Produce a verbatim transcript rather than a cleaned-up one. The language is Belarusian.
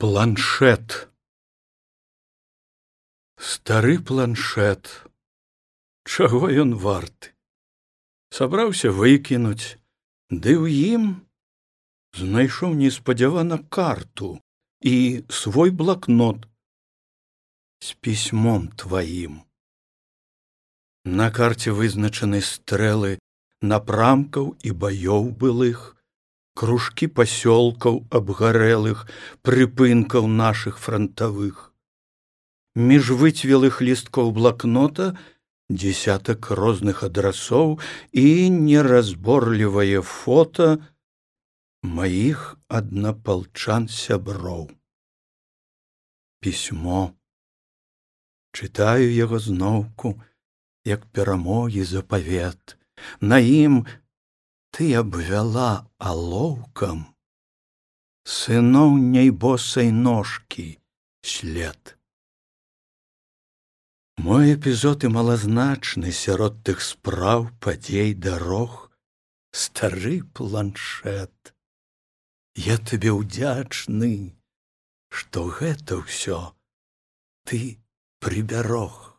Планшет. Стары планшет. Чаго ён варты? Сабраўся выкінуць, ды ў ім знайшоў неспадзявана карту і свой блакнот з пісьмом тваім. На карце вызначаны стрэлы напрамкаў і баёў былых, кружкі пасёлкаў абгарэлых, прыпынкаў нашых франтавых. Між выцвелых лісткоў блакнота дзесятак розных адрасоў і неразборлівае фота маіх аднапалчан сяброў. Пісьмо. Чытаю яго зноўку, як перамогі запавет. На ім ты абвяла алоўкам сыноў няйбосай ножкі след. Мой эпізод і малазначны сярод тых спраў, падзей, дарог. Стары планшет. Я табе ўдзячны, што гэта ўсё ты прыбярог.